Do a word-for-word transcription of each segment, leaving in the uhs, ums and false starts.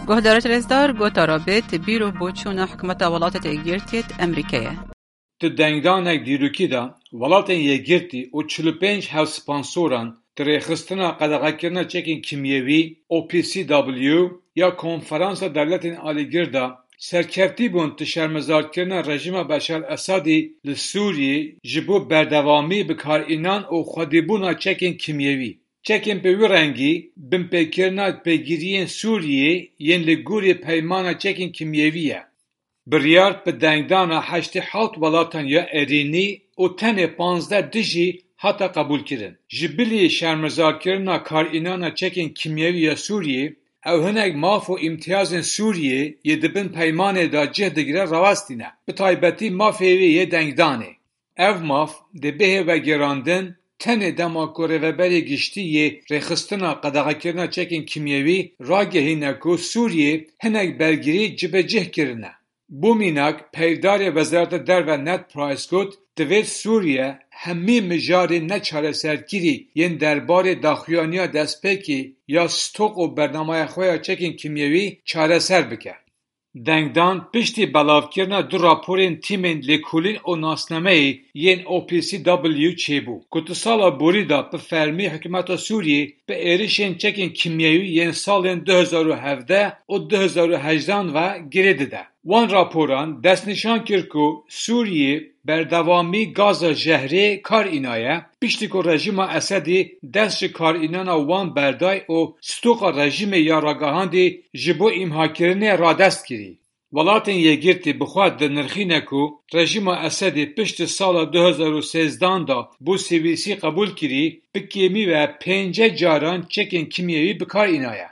Guhdarêt rêzdar, gotara bêt bîr û boçûna hikûmeta Welatêt Yekgirtiyêt Emerîkeyê. Di dengdanek dîrokî de, Welatên Yekgirtî û çil û pênc hevsponsoran di rêxistina qedexekirina çekên kîmyewî, O P C W, ya Konferansa Dewletên Alîgir de serkevtî bûn di şermezarkirina rejîma Beşar Esadî li Sûriyê ji bo berdewamî bi karînan û xwedîbûna çekên kîmyewî. Çekên bi wî rengî binpêkirina pêgiriyên Sûriyê yên li gorî peymana çekên kîmyewî ye. Biryar bi dengdana heştê hewt welatan ya erênî û tenê panzdeh dijî hate qebûlkirin. Ji bilî şermezarkirina karînana çekên kîmyewî ya Sûriyê, ew hinek maf û îmtiyazên Sûriyê yê di bin peymanê de cih digire rawestîne. Bi taybetî mafê wê yê dengdanê. Ev maf dê bihê vegerandin tenê dema ku Rêveberê Giştî yê Rêxistina Qedexekirina Çekên Kîmyewî ragehîne ku Sûriyê hinek bergirî cibecih kirine. Bo mînak, peyvdarê Wezareta Derve Ned Price got, divêt Sûriye hemî mijarên neçareserkirî yên derbarê daxuyaniya destpêkê ya stok û bernameya xwe ya çekên kîmyewî çareser bike. Dengdan piştî belavkirina du raporên tîmên lêkolîn û nasnameyê yên O P C W çêbû, ku di sala borî de bi fermî hikûmeta Sûriyê bi êrişên çekên kîmyewî yên salên du hezar û hevdeh û du hezar û hejdan ve girê dide. Wan raporan destnîşan kir ku Sûriyê berdewamî gaza jehrê kar înaye, piştî ku rejîma Esedî dest ji karînana wan berday û stoka rejîmê ya ragihandî ji bo îmhakirinê radest kirî. Welatên Yekgirtî bi xwe dinirxîne ku rejîma Esedî piştî sala du hezar û sêzdan de bo sêwîsî qebûl kirî, bi kêmî ve pênce caran çekên kîmyewî bi kar înaye.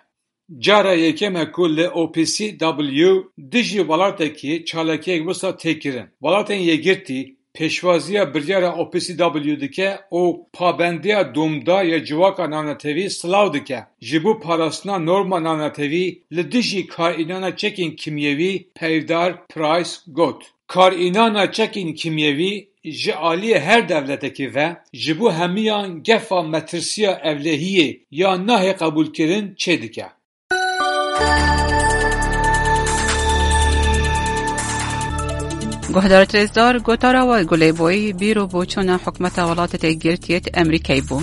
Cara yekem e ku li O P C W dijî welatekî çalakiyek wisa tê kirin. Welatên Yekgirtî pêşwaziya biryara O P C W dike û pabendiya domdar ya civaka navnetewî silav dike. Ji bo parastina norma navnetewî li dijî karînana çekên kîmyewî peyvdar Price got. Karînana çekên kîmyewî ji aliyê her dewletekî ve ji bo hemiyan gefa metirsiya ewlehiyê ya nahê qebûlkirin çêdike. Guhdarêt rêzdar, gotara we Gulê Boyî bîr û boçûna hikûmeta Welatêt Yekgirtiyêt Emerîkeyê bû.